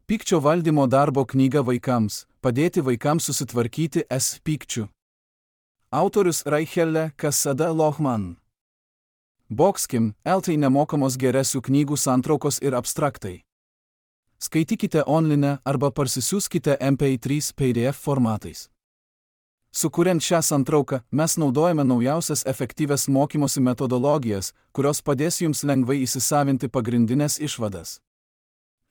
Pykčio valdymo darbo knyga vaikams – padėti vaikams susitvarkyti s pykčiu. Autorius Raichelle Cassada Lohman. Boxkim, LT nemokamos geresių knygų santraukos ir abstraktai. Skaitykite online arba parsisiųskite MP3 PDF formatais. Sukuriant šią santrauką, mes naudojame naujausias efektyvias mokymosi metodologijas, kurios padės jums lengvai įsisavinti pagrindinės išvadas.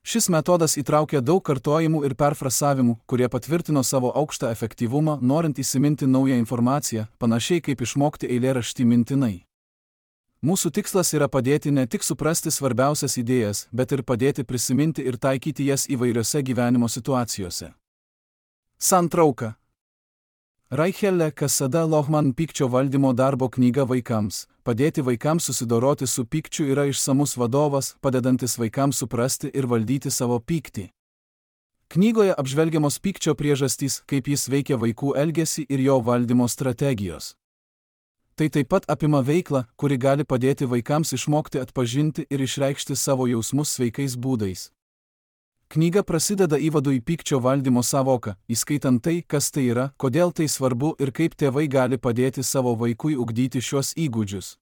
Šis metodas įtraukia daug kartojimų ir perfrasavimų, kurie patvirtino savo aukštą efektyvumą, norint įsiminti naują informaciją, panašiai kaip išmokti eilėraštį mintinai. Mūsų tikslas yra padėti ne tik suprasti svarbiausias idėjas, bet ir padėti prisiminti ir taikyti jas įvairiose gyvenimo situacijose. Santrauka. Raichelle Cassada Lohman pykčio valdymo darbo knyga vaikams – padėti vaikams susidoroti su pykčiu yra išsamus vadovas, padedantis vaikams suprasti ir valdyti savo pyktį. Knygoje apžvelgiamos pykčio priežastys, kaip jis veikia vaikų elgesį ir jo valdymo strategijos. Tai taip pat apima veiklą, kuri gali padėti vaikams išmokti atpažinti ir išreikšti savo jausmus sveikais būdais. Knyga prasideda įvadu į pykčio valdymo sąvoką, įskaitant tai, kas tai yra, kodėl tai svarbu ir kaip tėvai gali padėti savo vaikui ugdyti šios įgūdžius.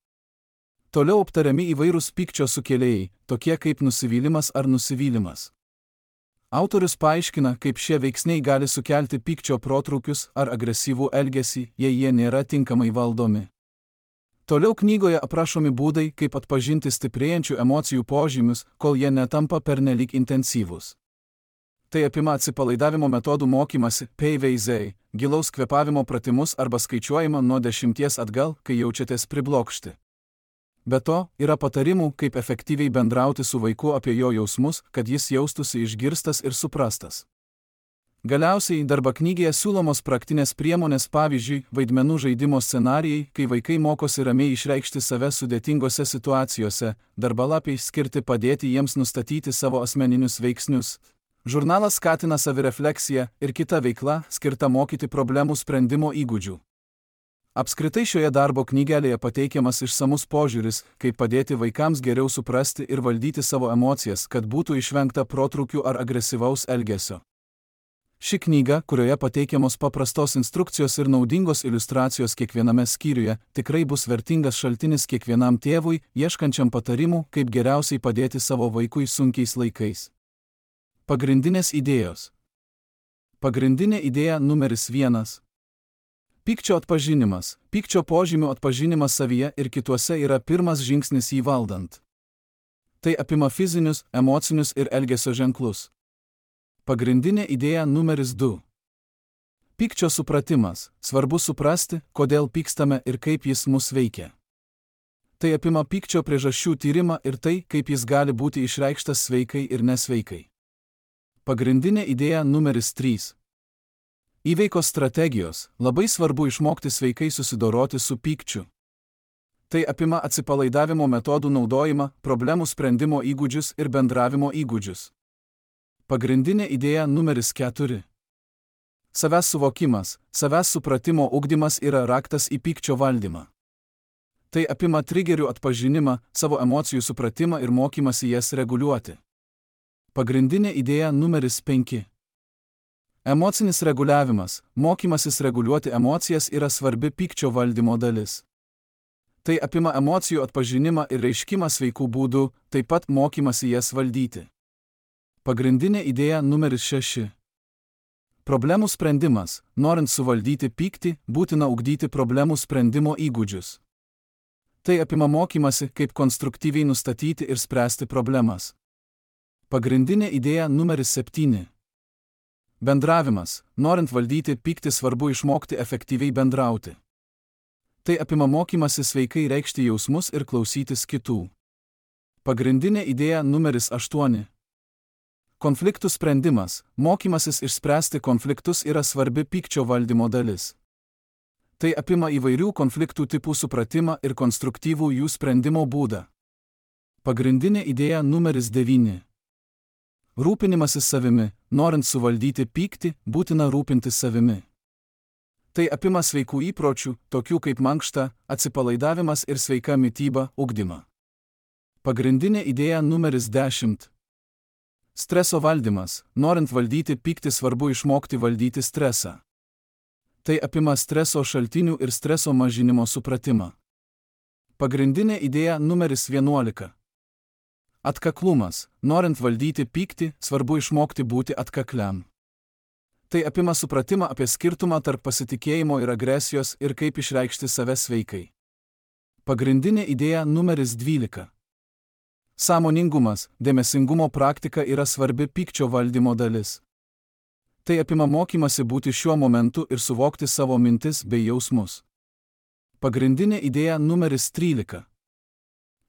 Toliau aptariami įvairūs pykčio sukėlėjai, tokie kaip nusivylimas ar nusivylimas. Autorius paaiškina, kaip šie veiksniai gali sukelti pykčio protrūkius ar agresyvų elgesį, jei jie nėra tinkamai valdomi. Toliau knygoje aprašomi būdai, kaip atpažinti stiprėjančių emocijų požymius, kol jie netampa pernelyg intensyvūs. Tai apima atsipalaidavimo metodų mokymasi, PVZ, gilaus kvėpavimo pratimus arba skaičiuojimą nuo 10 atgal, kai jaučiatės priblokšti. Be to, yra patarimų, kaip efektyviai bendrauti su vaiku apie jo jausmus, kad jis jaustųsi išgirstas ir suprastas. Galiausiai darbo knygoje siūlomos praktinės priemonės, pavyzdžiui, vaidmenų žaidimo scenarijai, kai vaikai mokosi ramiai išreikšti save sudėtingose situacijose, darbalapiai skirti padėti jiems nustatyti savo asmeninius veiksnius. Žurnalas skatina savirefleksiją ir kita veikla, skirta mokyti problemų sprendimo įgūdžių. Apskritai šioje darbo knygelėje pateikiamas išsamus požiūris, kaip padėti vaikams geriau suprasti ir valdyti savo emocijas, kad būtų išvengta protrūkių ar agresyvaus elgesio. Ši knyga, kurioje pateikiamos paprastos instrukcijos ir naudingos iliustracijos kiekviename skyriuje, tikrai bus vertingas šaltinis kiekvienam tėvui, ieškančiam patarimų, kaip geriausiai padėti savo vaikui sunkiais laikais. Pagrindinės idėjos. Pagrindinė idėja numeris 1. Pykčio atpažinimas. Pykčio požymių atpažinimas savyje ir kituose yra pirmas žingsnis jį valdant. Tai apima fizinius, emocinius ir elgesio ženklus. Pagrindinė idėja numeris 2. Pykčio supratimas. Svarbu suprasti, kodėl pykstame ir kaip jis mus veikia. Tai apima pykčio priežasčių tyrimą ir tai, kaip jis gali būti išreikštas sveikai ir nesveikai. Pagrindinė idėja numeris 3. Įveikos strategijos. Labai svarbu išmokti sveikai susidoroti su pykčiu. Tai apima atsipalaidavimo metodų naudojimą, problemų sprendimo įgūdžius ir bendravimo įgūdžius. Pagrindinė idėja numeris 4. Savęs suvokimas, savęs supratimo ugdymas yra raktas į pykčio valdymą. Tai apima trigerių atpažinimą, savo emocijų supratimą ir mokymasi jas reguliuoti. Pagrindinė idėja numeris 5. Emocinis reguliavimas, mokymasis reguliuoti emocijas yra svarbi pykčio valdymo dalis. Tai apima emocijų atpažinimą ir reiškimą sveikų būdų, taip pat mokymasi jas valdyti. Pagrindinė idėja numeris 6. Problemų sprendimas. Norint suvaldyti pyktį, būtina ugdyti problemų sprendimo įgūdžius. Tai apima mokymasi, kaip konstruktyviai nustatyti ir spręsti problemas. Pagrindinė idėja numeris 7. Bendravimas. Norint valdyti pyktį, svarbu išmokti efektyviai bendrauti. Tai apima mokymasi sveikai reikšti jausmus ir klausytis kitų. Pagrindinė idėja numeris 8. Konfliktų sprendimas. Mokymasis išspręsti konfliktus yra svarbi pykčio valdymo dalis. Tai apima įvairių konfliktų tipų supratimą ir konstruktyvų jų sprendimo būdą. Pagrindinė idėja numeris 9. Rūpinimasis savimi. Norint suvaldyti pyktį, būtina rūpintis savimi. Tai apima sveikų įpročių, tokių kaip mankšta, atsipalaidavimas ir sveika mityba, ugdymą. Pagrindinė idėja numeris 10. Streso valdymas. Norint valdyti pyktį, svarbu išmokti valdyti stresą. Tai apima streso šaltinių ir streso mažinimo supratimą. Pagrindinė idėja numeris 11. Atkaklumas. Norint valdyti pyktį, svarbu išmokti būti atkakliam. Tai apima supratimą apie skirtumą tarp pasitikėjimo ir agresijos ir kaip išreikšti save sveikai. Pagrindinė idėja numeris 12. Sąmoningumas. Dėmesingumo praktika yra svarbi pykčio valdymo dalis. Tai apima mokymasi būti šiuo momentu ir suvokti savo mintis bei jausmus. Pagrindinė idėja numeris 13.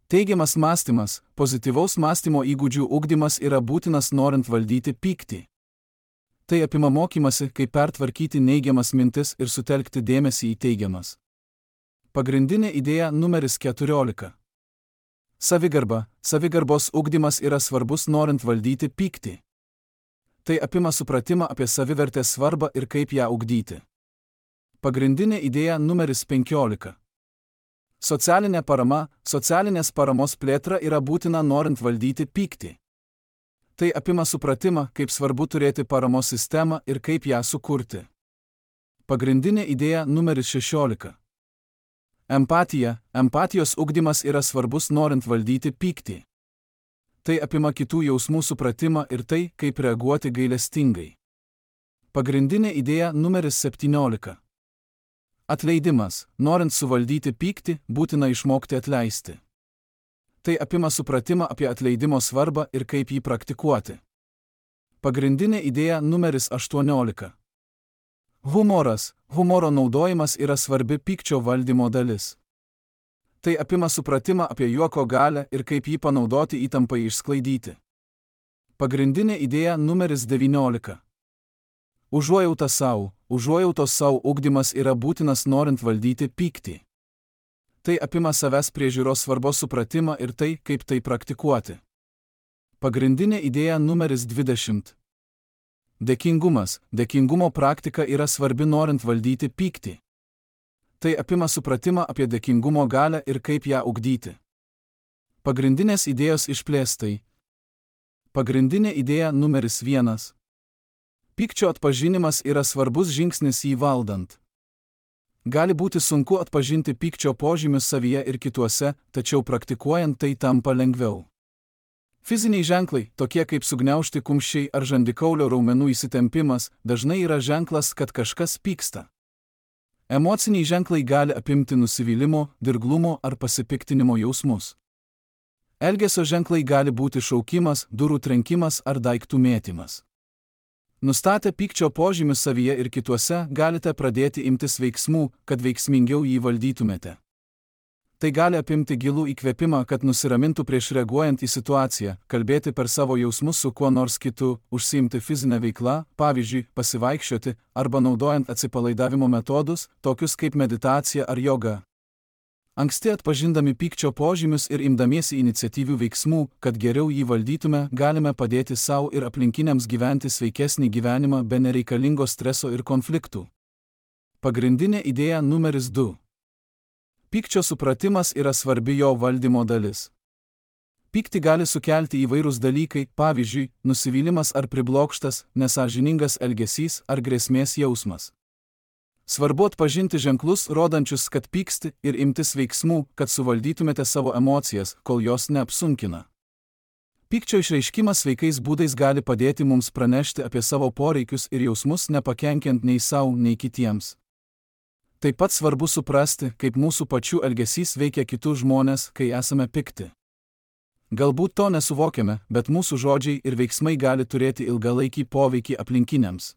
Teigiamas mąstymas. Pozityvaus mąstymo įgūdžių ugdymas yra būtinas norint valdyti pyktį. Tai apima mokymasi, kaip pertvarkyti neigiamas mintis ir sutelkti dėmesį į teigiamas. Pagrindinė idėja numeris 14. Savigarba. Savigarbos ugdymas yra svarbus norint valdyti pyktį. Tai apima supratimą apie savivertės svarbą ir kaip ją ugdyti. Pagrindinė idėja numeris 15. Socialinė parama. Socialinės paramos plėtra yra būtina norint valdyti pyktį. Tai apima supratimą, kaip svarbu turėti paramos sistemą ir kaip ją sukurti. Pagrindinė idėja numeris 16. Empatija. Empatijos ugdymas yra svarbus norint valdyti pyktį. Tai apima kitų jausmų supratimą ir tai, kaip reaguoti gailestingai. Pagrindinė idėja numeris 17. Atleidimas. Norint suvaldyti pyktį, būtina išmokti atleisti. Tai apima supratimą apie atleidimo svarbą ir kaip jį praktikuoti. Pagrindinė idėja numeris 18. Humoras. Humoro naudojimas yra svarbi pykčio valdymo dalis. Tai apima supratimą apie juoko galią ir kaip jį panaudoti įtampai išsklaidyti. Pagrindinė idėja numeris 19. Užuojauta sau. Užuojautos sau ugdymas yra būtinas norint valdyti pyktį. Tai apima savęs priežiūros svarbos supratimą ir tai, kaip tai praktikuoti. Pagrindinė idėja numeris 20. Dėkingumas. Dėkingumo praktika yra svarbi norint valdyti pyktį. Tai apima supratimą apie dėkingumo galią ir kaip ją ugdyti. Pagrindinės idėjos išplėstai. Pagrindinė idėja numeris 1. Pykčio atpažinimas yra svarbus žingsnis jį valdant. Gali būti sunku atpažinti pykčio požymius savyje ir kituose, tačiau praktikuojant tai tampa lengviau. Fiziniai ženklai, tokie kaip sugniaužti kumščiai ar žandikaulio raumenų įsitempimas, dažnai yra ženklas, kad kažkas pyksta. Emociniai ženklai gali apimti nusivylimo, dirglumo ar pasipiktinimo jausmus. Elgesio ženklai gali būti šaukimas, durų trenkimas ar daiktų mėtymas. Nustatę pykčio požymius savyje ir kituose, galite pradėti imtis veiksmų, kad veiksmingiau jį valdytumėte. Tai gali apimti gilų įkvėpimą, kad nusiramintų prieš reaguojant į situaciją, kalbėti per savo jausmus su kuo nors kitu, užsiimti fizinę veiklą, pavyzdžiui, pasivaikščioti, arba naudojant atsipalaidavimo metodus, tokius kaip meditacija ar joga. Anksti atpažindami pykčio požymius ir imdamiesi iniciatyvių veiksmų, kad geriau jį valdytume, galime padėti savo ir aplinkiniams gyventi sveikesnį gyvenimą be nereikalingo streso ir konfliktų. Pagrindinė idėja numeris 2. Pykčio supratimas yra svarbi jo valdymo dalis. Pyktį gali sukelti įvairūs dalykai, pavyzdžiui, nusivylimas ar priblokštas, nesąžiningas elgesys ar grėsmės jausmas. Svarbu atpažinti ženklus, rodančius, kad pyksti, ir imtis veiksmų, kad suvaldytumėte savo emocijas, kol jos neapsunkina. Pykčio išreiškimas sveikais būdais gali padėti mums pranešti apie savo poreikius ir jausmus, nepakenkiant nei savo, nei kitiems. Taip pat svarbu suprasti, kaip mūsų pačių elgesys veikia kitus žmonės, kai esame pikti. Galbūt to nesuvokiame, bet mūsų žodžiai ir veiksmai gali turėti ilgalaikį poveikį aplinkiniams.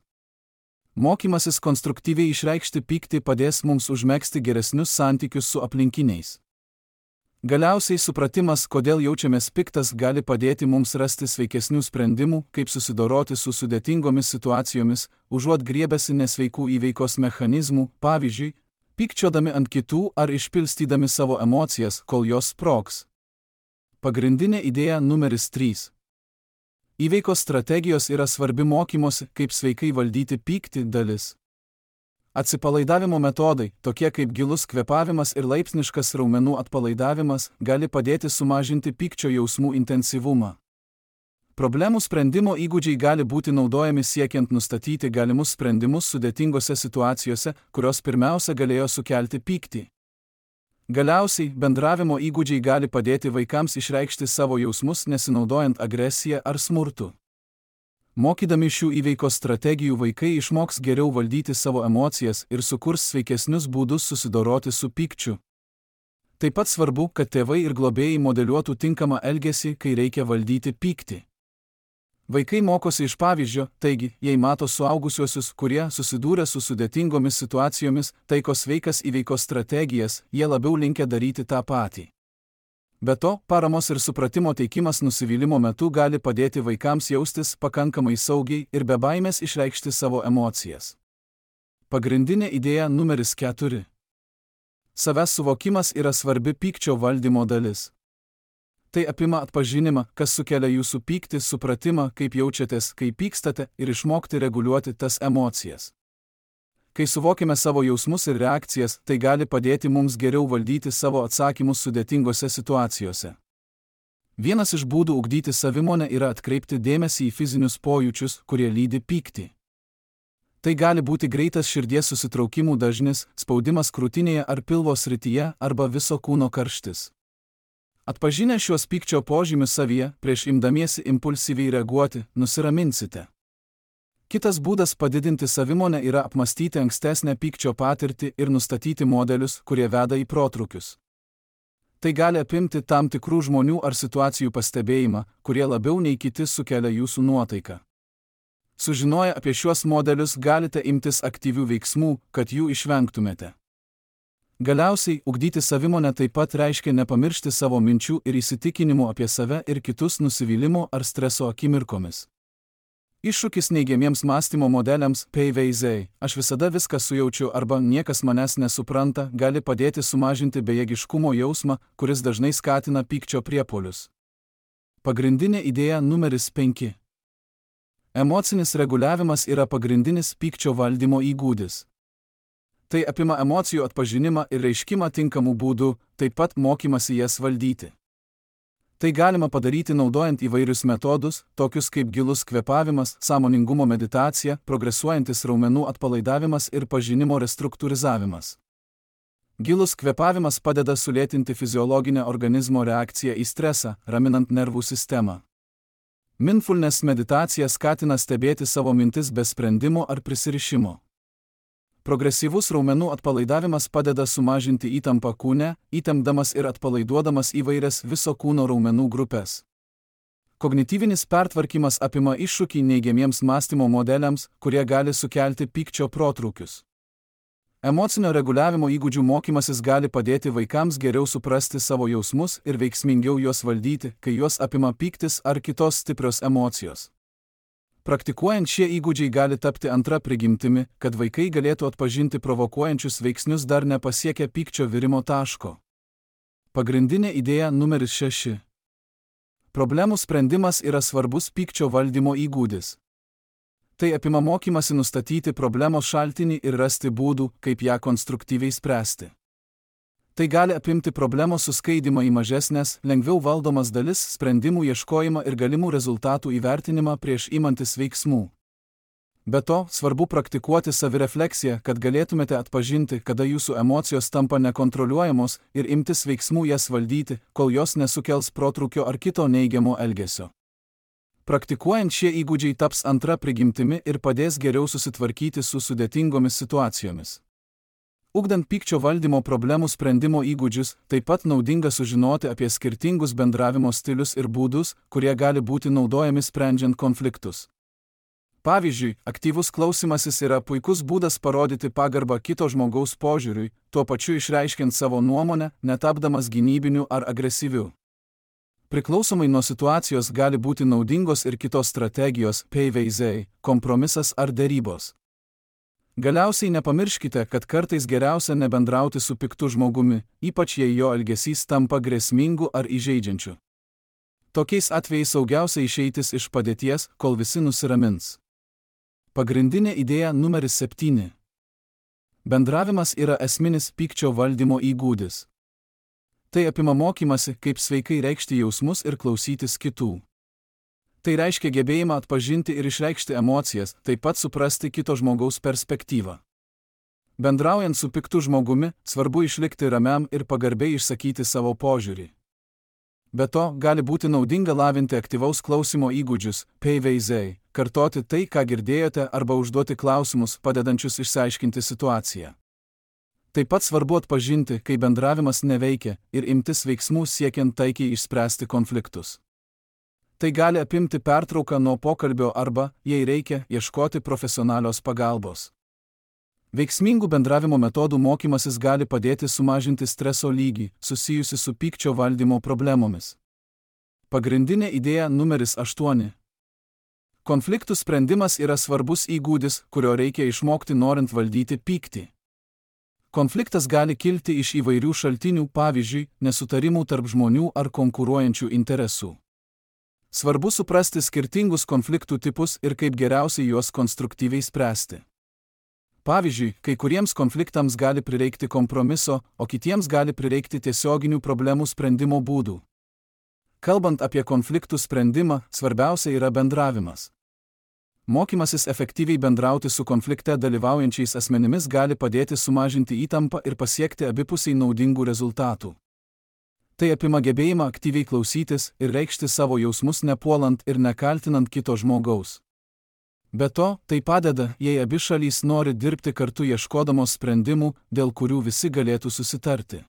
Mokymasis konstruktyviai išreikšti pyktį padės mums užmegzti geresnius santykius su aplinkiniais. Galiausiai supratimas, kodėl jaučiamės piktas, gali padėti mums rasti sveikesnių sprendimų, kaip susidoroti su sudėtingomis situacijomis, užuot griebęsi nesveikų įveikos mechanizmų, pavyzdžiui, pykčiodami ant kitų ar išpilstydami savo emocijas, kol jos sprogs. Pagrindinė idėja numeris 3. Įveikos strategijos yra svarbi mokymosi, kaip sveikai valdyti pyktį dalis. Atsipalaidavimo metodai, tokie kaip gilus kvėpavimas ir laipsniškas raumenų atpalaidavimas, gali padėti sumažinti pykčio jausmų intensyvumą. Problemų sprendimo įgūdžiai gali būti naudojami siekiant nustatyti galimus sprendimus sudėtingose situacijose, kurios pirmiausia galėjo sukelti pyktį. Galiausiai, bendravimo įgūdžiai gali padėti vaikams išreikšti savo jausmus nesinaudojant agresiją ar smurtu. Mokydami šių įveikos strategijų vaikai išmoks geriau valdyti savo emocijas ir sukurs sveikesnius būdus susidoroti su pykčiu. Taip pat svarbu, kad tėvai ir globėjai modeliuotų tinkamą elgesį, kai reikia valdyti pyktį. Vaikai mokosi iš pavyzdžio, taigi, jei mato suaugusiuosius, kurie susidūrė su sudėtingomis situacijomis, taiko sveikas įveikos strategijas, jie labiau linkę daryti tą patį. Be to, paramos ir supratimo teikimas nusivylimo metu gali padėti vaikams jaustis pakankamai saugiai ir be baimės išreikšti savo emocijas. Pagrindinė idėja numeris 4. Savęs suvokimas yra svarbi pykčio valdymo dalis. Tai apima atpažinimą, kas sukelia jūsų pyktį, supratimą, kaip jaučiatės, kai pykstate ir išmokti reguliuoti tas emocijas. Kai suvokime savo jausmus ir reakcijas, tai gali padėti mums geriau valdyti savo atsakymus sudėtingose situacijose. Vienas iš būdų ugdyti savimonę yra atkreipti dėmesį į fizinius pojūčius, kurie lydi pyktį. Tai gali būti greitas širdies susitraukimų dažnis, spaudimas krūtinėje ar pilvo srityje arba viso kūno karštis. Atpažinę šiuos pykčio požymius savyje, prieš imdamiesi impulsyviai reaguoti, nusiraminsite. Kitas būdas padidinti savimonę yra apmastyti ankstesnę pykčio patirtį ir nustatyti modelius, kurie veda į protrūkius. Tai gali apimti tam tikrų žmonių ar situacijų pastebėjimą, kurie labiau nei kiti sukelia jūsų nuotaiką. Sužinoję apie šiuos modelius galite imtis aktyvių veiksmų, kad jų išvengtumėte. Galiausiai, ugdyti savimonę taip pat reiškia nepamiršti savo minčių ir įsitikinimų apie save ir kitus nusivylimo ar streso akimirkomis. Iššūkis neigiamiems mąstymo modeliams PVZ, aš visada viską sujaučiu arba niekas manęs nesupranta, gali padėti sumažinti bejėgiškumo jausmą, kuris dažnai skatina pykčio priepuolius. Pagrindinė idėja numeris 5. Emocinis reguliavimas yra pagrindinis pykčio valdymo įgūdis. Tai apima emocijų atpažinimą ir reiškimą tinkamų būdų, taip pat mokymasi jas valdyti. Tai galima padaryti naudojant įvairius metodus, tokius kaip gilus kvėpavimas, sąmoningumo meditacija, progresuojantis raumenų atpalaidavimas ir pažinimo restruktūrizavimas. Gilus kvėpavimas padeda sulėtinti fiziologinę organizmo reakciją į stresą, raminant nervų sistemą. Mindfulness meditacija skatina stebėti savo mintis be sprendimo ar prisirišimo. Progresyvus raumenų atpalaidavimas padeda sumažinti įtampą kūne, įtempdamas ir atpalaiduodamas įvairias viso kūno raumenų grupės. Kognityvinis pertvarkymas apima iššūkį neigiamiems mąstymo modeliams, kurie gali sukelti pykčio protrūkius. Emocinio reguliavimo įgūdžių mokymasis gali padėti vaikams geriau suprasti savo jausmus ir veiksmingiau juos valdyti, kai juos apima pyktis ar kitos stiprios emocijos. Praktikuojant šie įgūdžiai gali tapti antra prigimtimi, kad vaikai galėtų atpažinti provokuojančius veiksnius dar nepasiekę pykčio virimo taško. Pagrindinė idėja numeris 6. Problemų sprendimas yra svarbus pykčio valdymo įgūdis. Tai apima mokymasi nustatyti problemos šaltinį ir rasti būdų, kaip ją konstruktyviai spręsti. Tai gali apimti problemos suskaidimą į mažesnės, lengviau valdomas dalis, sprendimų ieškojimą ir galimų rezultatų įvertinimą prieš imantis veiksmų. Be to, svarbu praktikuoti savirefleksiją, kad galėtumėte atpažinti, kada jūsų emocijos tampa nekontroliuojamos ir imtis veiksmų jas valdyti, kol jos nesukels protrūkio ar kito neigiamo elgesio. Praktikuojant šie įgūdžiai taps antra prigimtimi ir padės geriau susitvarkyti su sudėtingomis situacijomis. Ugdant pykčio valdymo problemų sprendimo įgūdžius, taip pat naudinga sužinoti apie skirtingus bendravimo stilius ir būdus, kurie gali būti naudojami sprendžiant konfliktus. Pavyzdžiui, aktyvus klausymasis yra puikus būdas parodyti pagarbą kito žmogaus požiūriui, tuo pačiu išreiškiant savo nuomonę, netapdamas gynybiniu ar agresyviu. Priklausomai nuo situacijos gali būti naudingos ir kitos strategijos, PVZ, kompromisas ar derybos. Galiausiai nepamirškite, kad kartais geriausia nebendrauti su piktu žmogumi, ypač jei jo elgesys tampa grėsmingu ar įžeidžiančiu. Tokiais atvejais saugiausia išeitis iš padėties, kol visi nusiramins. Pagrindinė idėja numeris 7. Bendravimas yra esminis pykčio valdymo įgūdis. Tai apima mokymasi, kaip sveikai reikšti jausmus ir klausytis kitų. Tai reiškia gebėjimą atpažinti ir išreikšti emocijas, taip pat suprasti kito žmogaus perspektyvą. Bendraujant su piktu žmogumi, svarbu išlikti ramiam ir pagarbiai išsakyti savo požiūrį. Be to, gali būti naudinga lavinti aktyvaus klausimo įgūdžius, PVZ, kartoti tai, ką girdėjote, arba užduoti klausimus, padedančius išsiaiškinti situaciją. Taip pat svarbu atpažinti, kai bendravimas neveikia, ir imtis veiksmų siekiant taikiai išspręsti konfliktus. Tai gali apimti pertrauką nuo pokalbio arba, jei reikia, ieškoti profesionalios pagalbos. Veiksmingų bendravimo metodų mokymasis gali padėti sumažinti streso lygį, susijusi su pykčio valdymo problemomis. Pagrindinė idėja numeris 8. Konfliktų sprendimas yra svarbus įgūdis, kurio reikia išmokti norint valdyti pyktį. Konfliktas gali kilti iš įvairių šaltinių, pavyzdžiui, nesutarimų tarp žmonių ar konkuruojančių interesų. Svarbu suprasti skirtingus konfliktų tipus ir kaip geriausiai juos konstruktyviai spręsti. Pavyzdžiui, kai kuriems konfliktams gali prireikti kompromiso, o kitiems gali prireikti tiesioginių problemų sprendimo būdų. Kalbant apie konfliktų sprendimą, svarbiausia yra bendravimas. Mokymasis efektyviai bendrauti su konflikte dalyvaujančiais asmenimis gali padėti sumažinti įtampą ir pasiekti abipusiai naudingų rezultatų. Tai apima gebėjimą aktyviai klausytis ir reikšti savo jausmus nepuolant ir nekaltinant kito žmogaus. Be to, tai padeda, jei abi šalys nori dirbti kartu ieškodamos sprendimų, dėl kurių visi galėtų susitarti.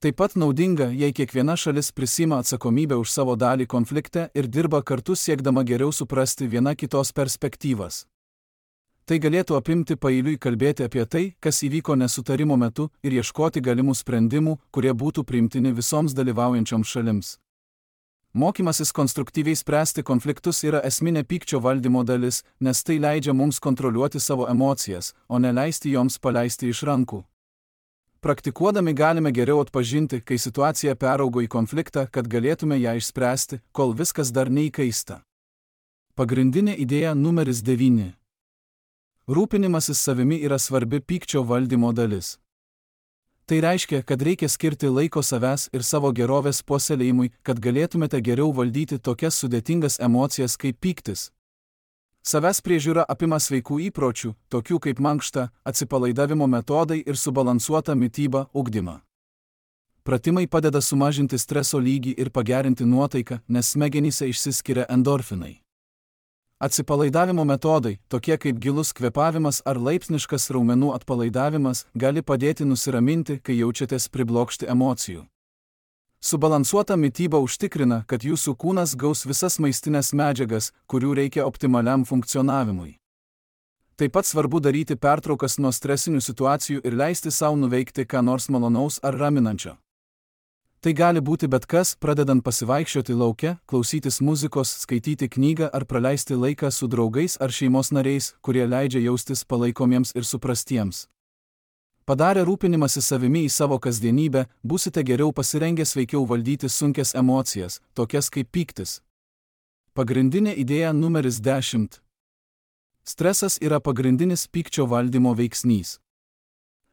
Taip pat naudinga, jei kiekviena šalis prisima atsakomybę už savo dalį konflikte ir dirba kartu siekdama geriau suprasti viena kitos perspektyvas. Tai galėtų apimti paeiliui kalbėti apie tai, kas įvyko nesutarimo metu ir ieškoti galimų sprendimų, kurie būtų priimtini visoms dalyvaujančioms šalims. Mokymasis konstruktyviai spręsti konfliktus yra esminė pykčio valdymo dalis, nes tai leidžia mums kontroliuoti savo emocijas, o ne leisti joms paleisti iš rankų. Praktikuodami galime geriau atpažinti, kai situacija peraugo į konfliktą, kad galėtume ją išspręsti, kol viskas dar neįkaista. Pagrindinė idėja numeris 9. Rūpinimasis savimi yra svarbi pykčio valdymo dalis. Tai reiškia, kad reikia skirti laiko savęs ir savo gerovės puoselėjimui, kad galėtumėte geriau valdyti tokias sudėtingas emocijas kaip pyktis. Savęs priežiūra apima sveikų įpročių, tokių kaip mankšta, atsipalaidavimo metodai ir subalansuota mityba, ugdymą. Pratimai padeda sumažinti streso lygį ir pagerinti nuotaiką, nes smegenyse išsiskiria endorfinai. Atsipalaidavimo metodai, tokie kaip gilus kvėpavimas ar laipsniškas raumenų atpalaidavimas, gali padėti nusiraminti, kai jaučiatės priblokšti emocijų. Subalansuota mityba užtikrina, kad jūsų kūnas gaus visas maistinės medžiagas, kurių reikia optimaliam funkcionavimui. Taip pat svarbu daryti pertraukas nuo stresinių situacijų ir leisti sau nuveikti ką nors malonaus ar raminančio. Tai gali būti bet kas, pradedant pasivaikščioti lauke, klausytis muzikos, skaityti knygą ar praleisti laiką su draugais ar šeimos nariais, kurie leidžia jaustis palaikomiems ir suprastiems. Padarę rūpinimąsi savimi į savo kasdienybę, būsite geriau pasirengę sveikiau valdyti sunkias emocijas, tokias kaip pyktis. Pagrindinė idėja numeris 10. Stresas yra pagrindinis pykčio valdymo veiksnys.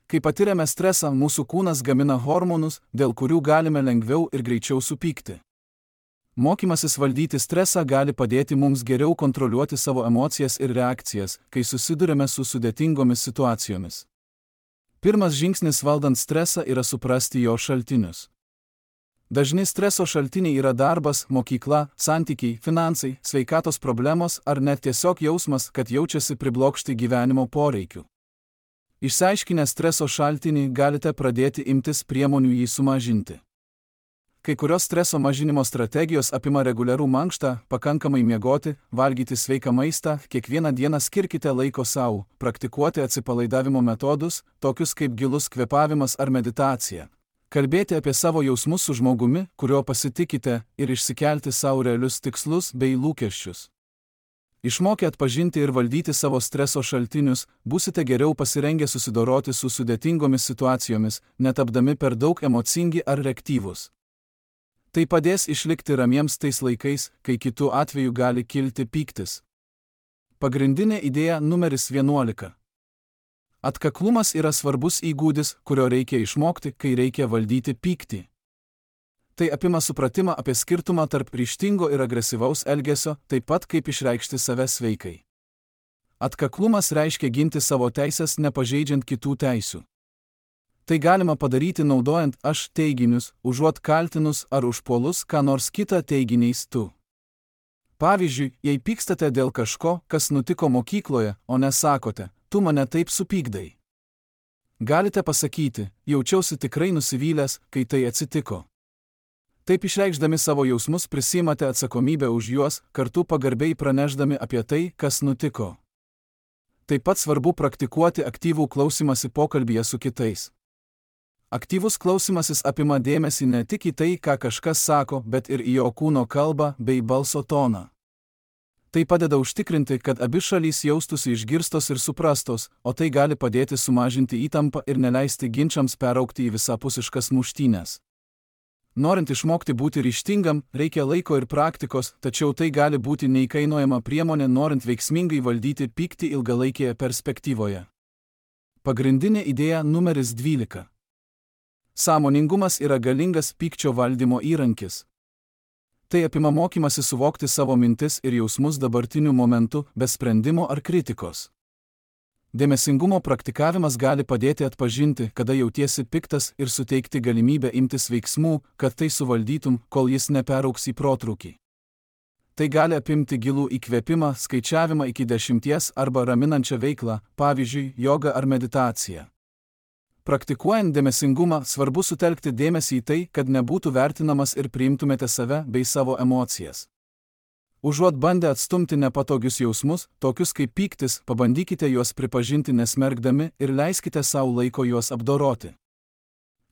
Kai patiriame stresą, mūsų kūnas gamina hormonus, dėl kurių galime lengviau ir greičiau supykti. Mokymasis valdyti stresą gali padėti mums geriau kontroliuoti savo emocijas ir reakcijas, kai susidurime su sudėtingomis situacijomis. Pirmas žingsnis valdant stresą yra suprasti jo šaltinius. Dažni streso šaltiniai yra darbas, mokykla, santykiai, finansai, sveikatos problemos ar net tiesiog jausmas, kad jaučiasi priblokšti gyvenimo poreikių. Išsiaiškinę streso šaltinį galite pradėti imtis priemonių jį sumažinti. Kai kurios streso mažinimo strategijos apima reguliarų mankštą, pakankamai miegoti, valgyti sveiką maistą, kiekvieną dieną skirkite laiko sau, praktikuoti atsipalaidavimo metodus, tokius kaip gilus kvėpavimas ar meditacija. Kalbėti apie savo jausmus su žmogumi, kurio pasitikite, ir išsikelti sau realius tikslus bei lūkesčius. Išmokę atpažinti ir valdyti savo streso šaltinius, būsite geriau pasirengę susidoroti su sudėtingomis situacijomis, netapdami per daug emocingi ar reaktyvūs. Tai padės išlikti ramiems tais laikais, kai kitu atveju gali kilti pyktis. Pagrindinė idėja numeris 11. Atkaklumas yra svarbus įgūdis, kurio reikia išmokti, kai reikia valdyti pyktį. Tai apima supratimą apie skirtumą tarp ryžtingo ir agresyvaus elgesio, taip pat kaip išreikšti save sveikai. Atkaklumas reiškia ginti savo teisės nepažeidžiant kitų teisių. Tai galima padaryti naudojant aš teiginius, užuot kaltinus ar užpuolus ką nors kitą teiginiais tu. Pavyzdžiui, jei pykstate dėl kažko, kas nutiko mokykloje, o nesakote, tu mane taip supykdai. Galite pasakyti, jaučiausi tikrai nusivylęs, kai tai atsitiko. Taip išreikšdami savo jausmus prisiimate atsakomybę už juos, kartu pagarbiai praneždami apie tai, kas nutiko. Taip pat svarbu praktikuoti aktyvų klausymąsi pokalbyje su kitais. Aktyvus klausymasis apima dėmesį ne tik į tai, ką kažkas sako, bet ir į jo kūno kalbą bei balso toną. Tai padeda užtikrinti, kad abi šalys jaustųsi išgirstos ir suprastos, o tai gali padėti sumažinti įtampą ir neleisti ginčams peraugti į visapusiškas muštynes. Norint išmokti būti ryžtingam, reikia laiko ir praktikos, tačiau tai gali būti neįkainojama priemonė norint veiksmingai valdyti pyktį ilgalaikėje perspektyvoje. Pagrindinė idėja numeris 12. Sąmoningumas yra galingas pykčio valdymo įrankis. Tai apima mokymasi suvokti savo mintis ir jausmus dabartiniu momentu, be sprendimo ar kritikos. Dėmesingumo praktikavimas gali padėti atpažinti, kada jautiesi piktas ir suteikti galimybę imtis veiksmų, kad tai suvaldytum, kol jis neperaugs į protrūkį. Tai gali apimti gilų įkvėpimą, skaičiavimą iki 10 arba raminančią veiklą, pavyzdžiui, jogą ar meditaciją. Praktikuojant dėmesingumą, svarbu sutelkti dėmesį į tai, kad nebūtų vertinamas ir priimtumėte save bei savo emocijas. Užuot bandę atstumti nepatogius jausmus, tokius kaip pyktis, pabandykite juos pripažinti nesmerkdami ir leiskite savo laiko juos apdoroti.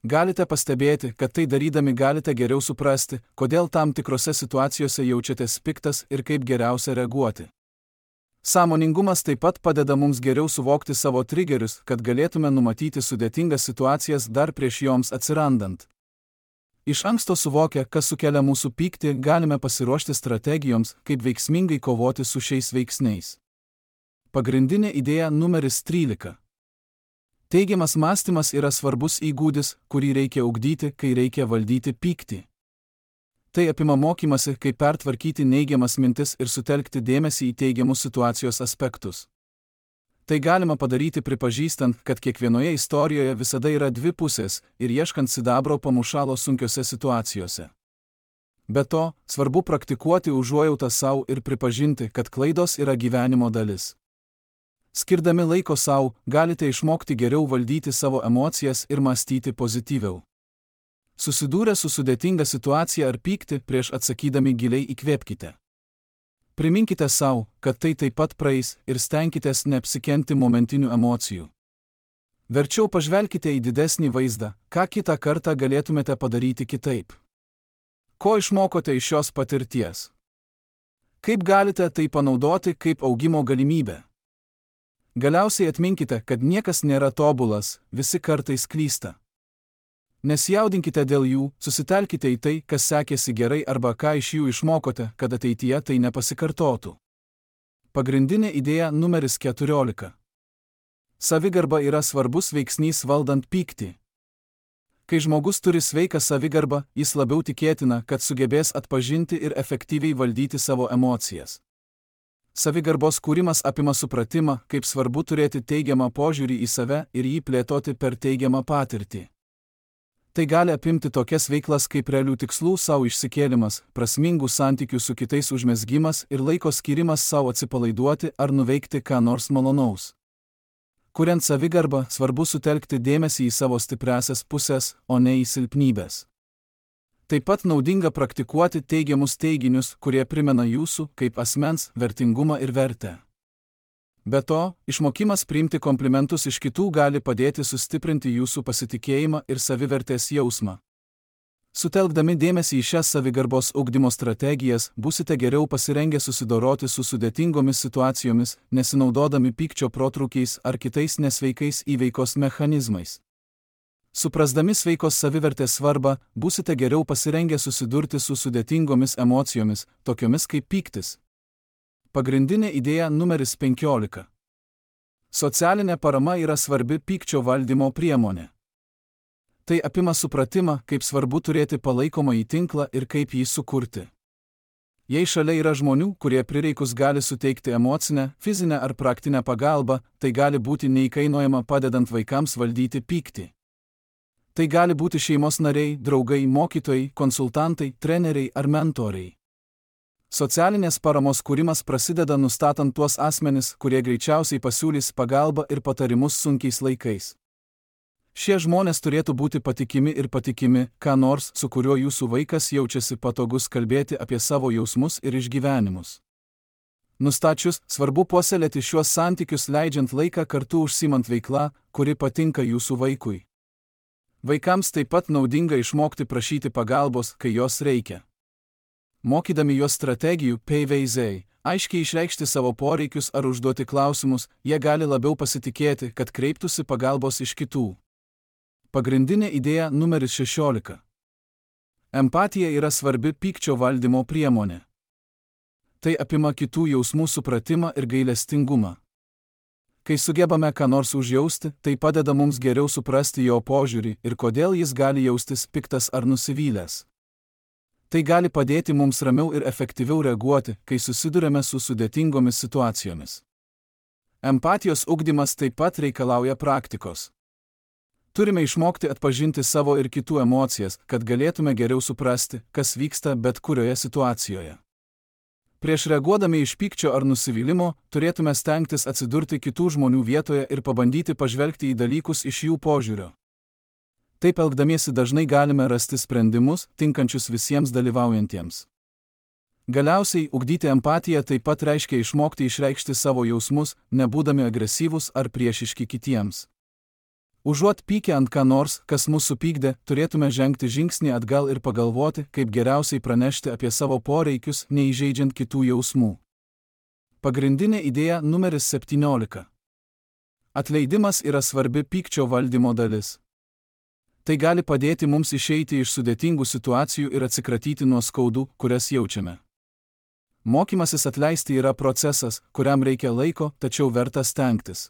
Galite pastebėti, kad tai darydami galite geriau suprasti, kodėl tam tikrose situacijose jaučiatės piktas ir kaip geriausia reaguoti. Sąmoningumas taip pat padeda mums geriau suvokti savo trigerius, kad galėtume numatyti sudėtingas situacijas dar prieš joms atsirandant. Iš anksto suvokę, kas sukelia mūsų pyktį, galime pasiruošti strategijoms, kaip veiksmingai kovoti su šiais veiksniais. Pagrindinė idėja numeris 13. Teigiamas mąstymas yra svarbus įgūdis, kurį reikia ugdyti, kai reikia valdyti pyktį. Tai apima mokymasi, kaip pertvarkyti neigiamas mintis ir sutelkti dėmesį į teigiamus situacijos aspektus. Tai galima padaryti pripažįstant, kad kiekvienoje istorijoje visada yra dvi pusės ir ieškant sidabro pamušalo sunkiose situacijose. Be to, svarbu praktikuoti užuojautą savo ir pripažinti, kad klaidos yra gyvenimo dalis. Skirdami laiko savo, galite išmokti geriau valdyti savo emocijas ir mąstyti pozityviau. Susidūrę su sudėtinga situacija ar pykti, prieš atsakydami giliai įkvėpkite. Priminkite savo, kad tai taip pat praeis ir stenkitės neapsikenti momentinių emocijų. Verčiau pažvelkite į didesnį vaizdą, ką kitą kartą galėtumėte padaryti kitaip. Ko išmokote iš šios patirties? Kaip galite tai panaudoti kaip augimo galimybę? Galiausiai atminkite, kad niekas nėra tobulas, visi kartais klysta. Nesijaudinkite dėl jų, susitelkite į tai, kas sekėsi gerai arba ką iš jų išmokote, kad ateityje tai nepasikartotų. Pagrindinė idėja numeris 14. Savigarba yra svarbus veiksnys valdant pyktį. Kai žmogus turi sveiką savigarbą, jis labiau tikėtina, kad sugebės atpažinti ir efektyviai valdyti savo emocijas. Savigarbos kūrimas apima supratimą, kaip svarbu turėti teigiamą požiūrį į save ir jį plėtoti per teigiamą patirtį. Tai gali apimti tokias veiklas kaip realių tikslų savo išsikėlimas, prasmingų santykių su kitais užmezgimas ir laiko skirimas savo atsipalaiduoti ar nuveikti ką nors malonaus. Kuriant savigarbą, svarbu sutelkti dėmesį į savo stipriąsias pusės, o ne į silpnybės. Taip pat naudinga praktikuoti teigiamus teiginius, kurie primena jūsų, kaip asmens, vertingumą ir vertę. Be to, išmokimas priimti komplimentus iš kitų gali padėti sustiprinti jūsų pasitikėjimą ir savivertės jausmą. Sutelkdami dėmesį į šias savigarbos ugdymo strategijas, būsite geriau pasirengę susidoroti su sudėtingomis situacijomis, nesinaudodami pykčio protrūkiais ar kitais nesveikais įveikos mechanizmais. Suprasdami sveikos savivertės svarbą, būsite geriau pasirengę susidurti su sudėtingomis emocijomis, tokiomis kaip pyktis. Pagrindinė idėja numeris 15. Socialinė parama yra svarbi pykčio valdymo priemonė. Tai apima supratimą, kaip svarbu turėti palaikomąjį tinklą ir kaip jį sukurti. Jei šalia yra žmonių, kurie prireikus gali suteikti emocinę, fizinę ar praktinę pagalbą, tai gali būti neįkainojama padedant vaikams valdyti pyktį. Tai gali būti šeimos nariai, draugai, mokytojai, konsultantai, treneriai ar mentoriai. Socialinės paramos kūrimas prasideda nustatant tuos asmenis, kurie greičiausiai pasiūlys pagalbą ir patarimus sunkiais laikais. Šie žmonės turėtų būti patikimi ir patikimi, ką nors, su kuriuo jūsų vaikas jaučiasi patogus kalbėti apie savo jausmus ir išgyvenimus. Nustačius, svarbu puoselėti šiuos santykius leidžiant laiką kartu užsiimant veiklą, kuri patinka jūsų vaikui. Vaikams taip pat naudinga išmokti prašyti pagalbos, kai jos reikia. Mokydami juos strategijų, PVZ, aiškiai išreikšti savo poreikius ar užduoti klausimus, jie gali labiau pasitikėti, kad kreiptųsi pagalbos iš kitų. Pagrindinė idėja numeris 16. Empatija yra svarbi pykčio valdymo priemonė. Tai apima kitų jausmų supratimą ir gailestingumą. Kai sugebame ką nors užjausti, tai padeda mums geriau suprasti jo požiūrį ir kodėl jis gali jaustis piktas ar nusivylęs. Tai gali padėti mums ramiau ir efektyviau reaguoti, kai susidurėme su sudėtingomis situacijomis. Empatijos ugdymas taip pat reikalauja praktikos. Turime išmokti atpažinti savo ir kitų emocijas, kad galėtume geriau suprasti, kas vyksta bet kurioje situacijoje. Prieš reaguodami iš pykčio ar nusivylimo, turėtume stengtis atsidurti kitų žmonių vietoje ir pabandyti pažvelgti į dalykus iš jų požiūrio. Taip elgdamiesi dažnai galime rasti sprendimus, tinkančius visiems dalyvaujantiems. Galiausiai, ugdyti empatiją taip pat reiškia išmokti išreikšti savo jausmus, nebūdami agresyvūs ar priešiški kitiems. Užuot pykę ant ką nors, kas mus supykdė, turėtume žengti žingsnį atgal ir pagalvoti, kaip geriausiai pranešti apie savo poreikius, neįžeidžiant kitų jausmų. Pagrindinė idėja numeris 17. Atleidimas yra svarbi pykčio valdymo dalis. Tai gali padėti mums išeiti iš sudėtingų situacijų ir atsikratyti nuo skaudų, kurias jaučiame. Mokymasis atleisti yra procesas, kuriam reikia laiko, tačiau verta stengtis.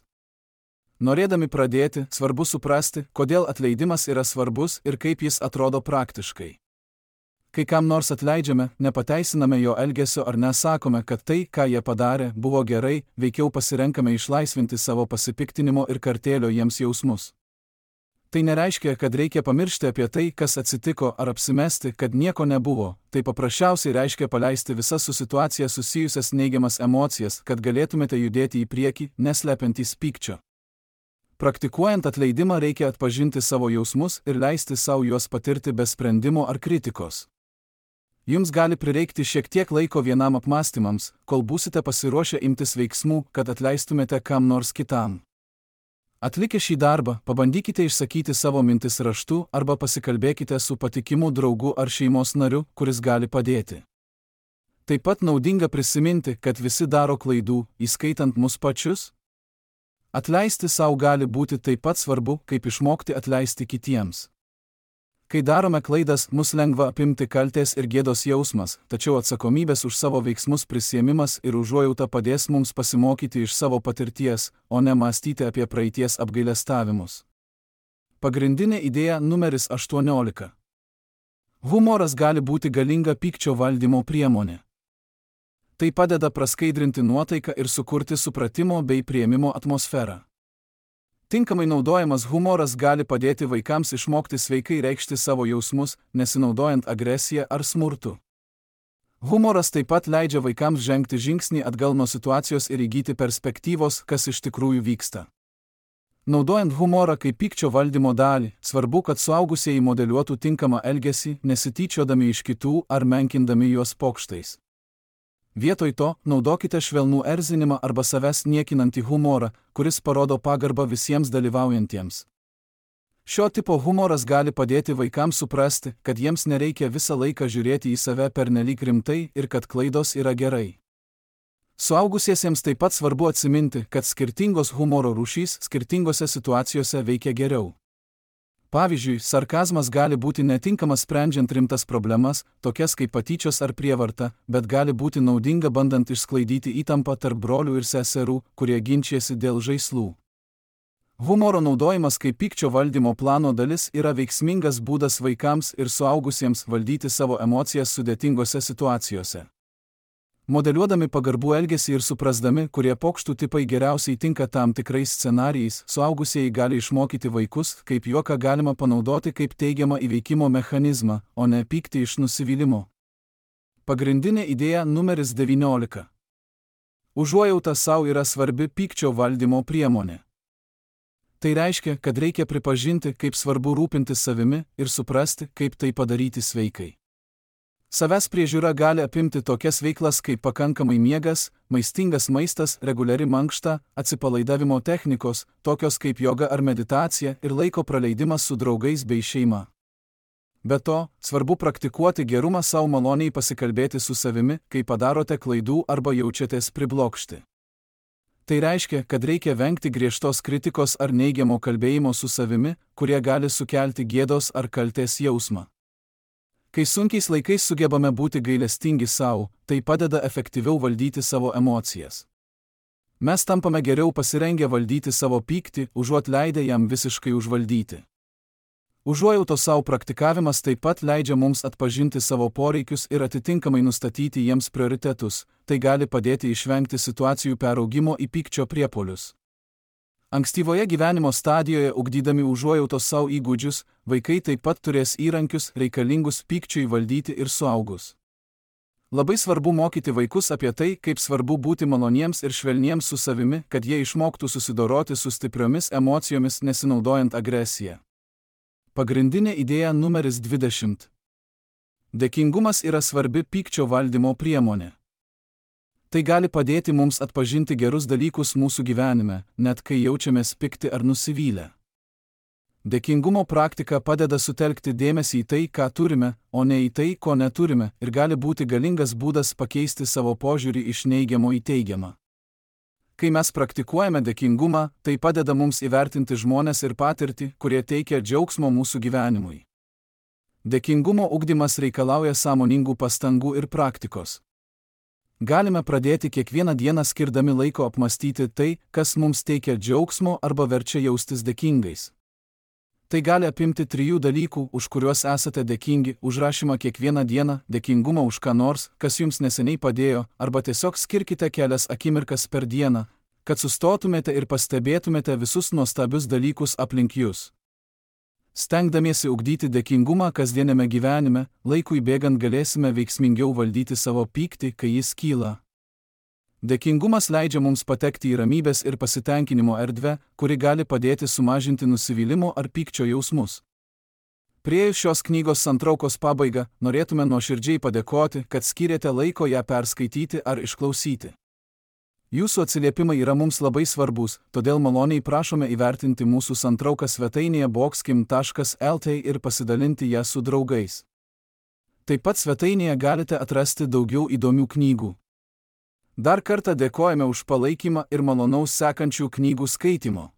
Norėdami pradėti, svarbu suprasti, kodėl atleidimas yra svarbus ir kaip jis atrodo praktiškai. Kai kam nors atleidžiame, nepateisiname jo elgesio ar nesakome, kad tai, ką jie padarė, buvo gerai, veikiau pasirenkame išlaisvinti savo pasipiktinimo ir kartėlio jiems jausmus. Tai nereiškia, kad reikia pamiršti apie tai, kas atsitiko, ar apsimesti, kad nieko nebuvo. Tai paprasčiausiai reiškia paleisti visas su situacija susijusias neigiamas emocijas, kad galėtumėte judėti į priekį, neslepiantys pykčio. Praktikuojant atleidimą reikia atpažinti savo jausmus ir leisti savo juos patirti be sprendimo ar kritikos. Jums gali prireikti šiek tiek laiko vienam apmąstymams, kol būsite pasiruošę imtis veiksmų, kad atleistumėte kam nors kitam. Atlikę šį darbą, pabandykite išsakyti savo mintis raštu arba pasikalbėkite su patikimu draugu ar šeimos nariu, kuris gali padėti. Taip pat naudinga prisiminti, kad visi daro klaidų, įskaitant mus pačius. Atleisti savo gali būti taip pat svarbu, kaip išmokti atleisti kitiems. Kai darome klaidas, mus lengva apimti kaltės ir gėdos jausmas, tačiau atsakomybės už savo veiksmus prisiėmimas ir užuojauta padės mums pasimokyti iš savo patirties, o ne mąstyti apie praeities apgailestavimus. Pagrindinė idėja numeris 18. Humoras gali būti galinga pykčio valdymo priemonė. Tai padeda praskaidrinti nuotaiką ir sukurti supratimo bei priėmimo atmosferą. Tinkamai naudojamas humoras gali padėti vaikams išmokti sveikai reikšti savo jausmus, nesinaudojant agresiją ar smurtu. Humoras taip pat leidžia vaikams žengti žingsnį atgal nuo situacijos ir įgyti perspektyvos, kas iš tikrųjų vyksta. Naudojant humorą kaip pykčio valdymo dalį, svarbu, kad suaugusieji modeliuotų tinkamą elgesį, nesityčiodami iš kitų ar menkindami juos pokštais. Vietoj to, naudokite švelnų erzinimą arba savęs niekinantį humorą, kuris parodo pagarbą visiems dalyvaujantiems. Šio tipo humoras gali padėti vaikams suprasti, kad jiems nereikia visą laiką žiūrėti į save pernelyg rimtai ir kad klaidos yra gerai. Suaugusiesiems taip pat svarbu atsiminti, kad skirtingos humoro rūšys skirtingose situacijose veikia geriau. Pavyzdžiui, sarkazmas gali būti netinkamas sprendžiant rimtas problemas, tokias kaip patyčios ar prievarta, bet gali būti naudinga bandant išsklaidyti įtampą tarp brolių ir seserų, kurie ginčijasi dėl žaislų. Humoro naudojimas kaip pykčio valdymo plano dalis yra veiksmingas būdas vaikams ir suaugusiems valdyti savo emocijas sudėtingose situacijose. Modeliuodami pagarbų elgesį ir suprasdami, kurie pokštų tipai geriausiai tinka tam tikrais scenarijais, suaugusieji gali išmokyti vaikus, kaip juoką galima panaudoti kaip teigiamą įveikimo mechanizmą, o ne pykti iš nusivylimo. Pagrindinė idėja numeris 19. Užuojauta savo yra svarbi pykčio valdymo priemonė. Tai reiškia, kad reikia pripažinti, kaip svarbu rūpintis savimi ir suprasti, kaip tai padaryti sveikai. Savęs priežiūra gali apimti tokias veiklas kaip pakankamai miegas, maistingas maistas, reguliari mankšta, atsipalaidavimo technikos, tokios kaip joga ar meditacija ir laiko praleidimas su draugais bei šeima. Be to, svarbu praktikuoti gerumą savo maloniai pasikalbėti su savimi, kai padarote klaidų arba jaučiatės priblokšti. Tai reiškia, kad reikia vengti griežtos kritikos ar neigiamo kalbėjimo su savimi, kurie gali sukelti gėdos ar kaltės jausmą. Kai sunkiais laikais sugebame būti gailestingi savo, tai padeda efektyviau valdyti savo emocijas. Mes tampame geriau pasirengę valdyti savo pyktį, užuot leidę jam visiškai užvaldyti. Užuojautos savo praktikavimas taip pat leidžia mums atpažinti savo poreikius ir atitinkamai nustatyti jiems prioritetus, tai gali padėti išvengti situacijų peraugimo į pykčio priepuolius. Ankstyvoje gyvenimo stadijoje ugdydami užuojautos savo įgūdžius, vaikai taip pat turės įrankius reikalingus pykčiui valdyti ir suaugus. Labai svarbu mokyti vaikus apie tai, kaip svarbu būti maloniems ir švelniems su savimi, kad jie išmoktų susidoroti su stipriomis emocijomis nesinaudojant agresiją. Pagrindinė idėja numeris 20. Dėkingumas yra svarbi pykčio valdymo priemonė. Tai gali padėti mums atpažinti gerus dalykus mūsų gyvenime, net kai jaučiamės pikti ar nusivylę. Dėkingumo praktika padeda sutelkti dėmesį į tai, ką turime, o ne į tai, ko neturime, ir gali būti galingas būdas pakeisti savo požiūrį iš neigiamo į teigiamą. Kai mes praktikuojame dėkingumą, tai padeda mums įvertinti žmones ir patirtį, kurie teikia džiaugsmo mūsų gyvenimui. Dėkingumo ugdymas reikalauja sąmoningų pastangų ir praktikos. Galime pradėti kiekvieną dieną skirdami laiko apmastyti tai, kas mums teikia džiaugsmo arba verčia jaustis dėkingais. Tai gali apimti 3 dalykų, už kuriuos esate dėkingi, užrašymą kiekvieną dieną, dėkingumą už ką nors, kas jums neseniai padėjo, arba tiesiog skirkite kelias akimirkas per dieną, kad sustotumėte ir pastebėtumėte visus nuostabius dalykus aplink jūs. Stengdamiesi ugdyti dėkingumą kasdieniame gyvenime, laikui bėgant galėsime veiksmingiau valdyti savo pyktį, kai jis kyla. Dėkingumas leidžia mums patekti į ramybės ir pasitenkinimo erdvę, kuri gali padėti sumažinti nusivylimo ar pykčio jausmus. Priėjus šios knygos santraukos pabaigą, norėtume nuoširdžiai padėkoti, kad skyrėte laiko ją perskaityti ar išklausyti. Jūsų atsiliepimai yra mums labai svarbus, todėl maloniai prašome įvertinti mūsų santrauką svetainėje boxkim.lt ir pasidalinti ją su draugais. Taip pat svetainėje galite atrasti daugiau įdomių knygų. Dar kartą dėkojame už palaikymą ir malonaus sekančių knygų skaitimo.